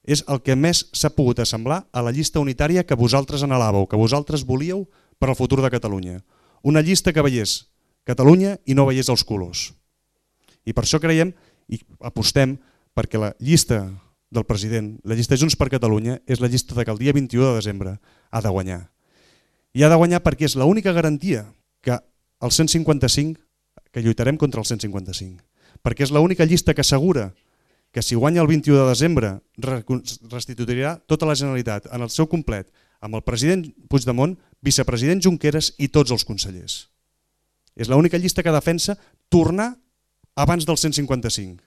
és el que més s'ha pogut assemblar a la llista unitària que vosaltres anhelàveu, que vosaltres volíeu per al futur de Catalunya. Una llista que veiés Catalunya i no veiés els colors. I per això creiem i apostem perquè la llista del president, la llista Junts per Catalunya, és la llista que el dia 21 de desembre ha de guanyar. I ha de guanyar perquè és l'única garantia que el 155, que lluitarem contra el 155, perquè és l'única llista que assegura que si guanya el 21 de desembre restituirà tota la Generalitat en el seu complet amb el president Puigdemont, vicepresident Junqueras i tots els consellers. És l'única llista que defensa tornar abans del 155.